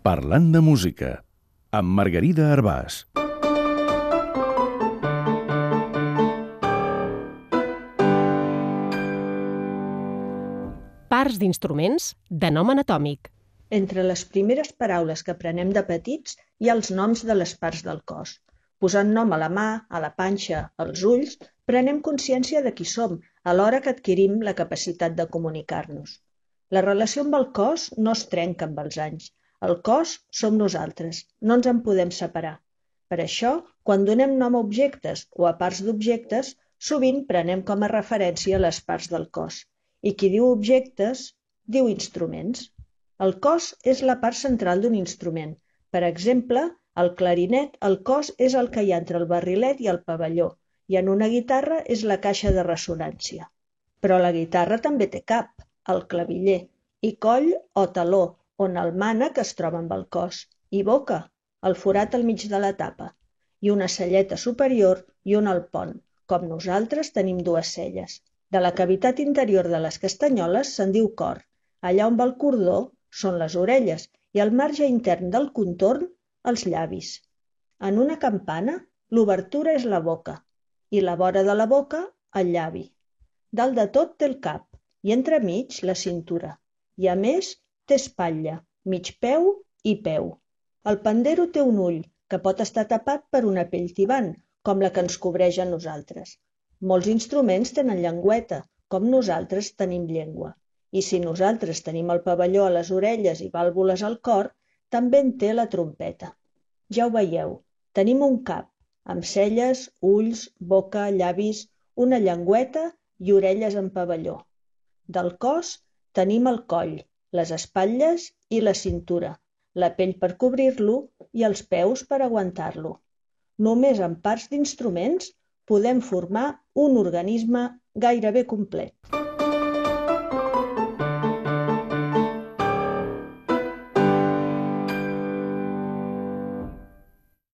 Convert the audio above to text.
Parlant de música, amb Margarida Arbàs. Parts d'instruments de nom anatòmic. Entre les primeres paraules que aprenem de petits hi ha els noms de les parts del cos. Posant nom a la mà, a la panxa, als ulls, prenem consciència de qui som, alhora que adquirim la capacitat de comunicar-nos. La relació amb el cos no es trenca amb els anys. El cos som nosaltres, no ens en podem separar. Per això, quan donem nom a objectes o a parts d'objectes, sovint prenem com a referència les parts del cos. I qui diu objectes, diu instruments. El cos és la part central d'un instrument. Per exemple, al clarinet el cos és el que hi ha entre el barrilet i el pavelló, i en una guitarra és la caixa de ressonància. Però la guitarra també té cap, el claviller, i coll o taló, on el mànec es troba amb el cos, i boca, el forat al mig de la tapa, i una celleta superior i una al pont, com nosaltres tenim dues celles. De la cavitat interior de les castanyoles se'n diu cor. Allà on va el cordó són les orelles i el marge intern del contorn, els llavis. En una campana, l'obertura és la boca i la vora de la boca, el llavi. Dalt de tot té el cap i entremig la cintura. I a més, té espatlla, mig peu i peu. El pandero té un ull, que pot estar tapat per una pell tibant, com la que ens cobreix a nosaltres. Molts instruments tenen llengüeta, com nosaltres tenim llengua. I si nosaltres tenim el pavelló a les orelles i vàlvules al cor, també en té la trompeta. Ja ho veieu, tenim un cap, amb celles, ulls, boca, llavis, una llengüeta i orelles en pavelló. Del cos tenim el coll, les espatlles i la cintura, la pell per cobrir-lo i els peus per aguantar-lo. Només amb parts d'instruments podem formar un organisme gairebé complet.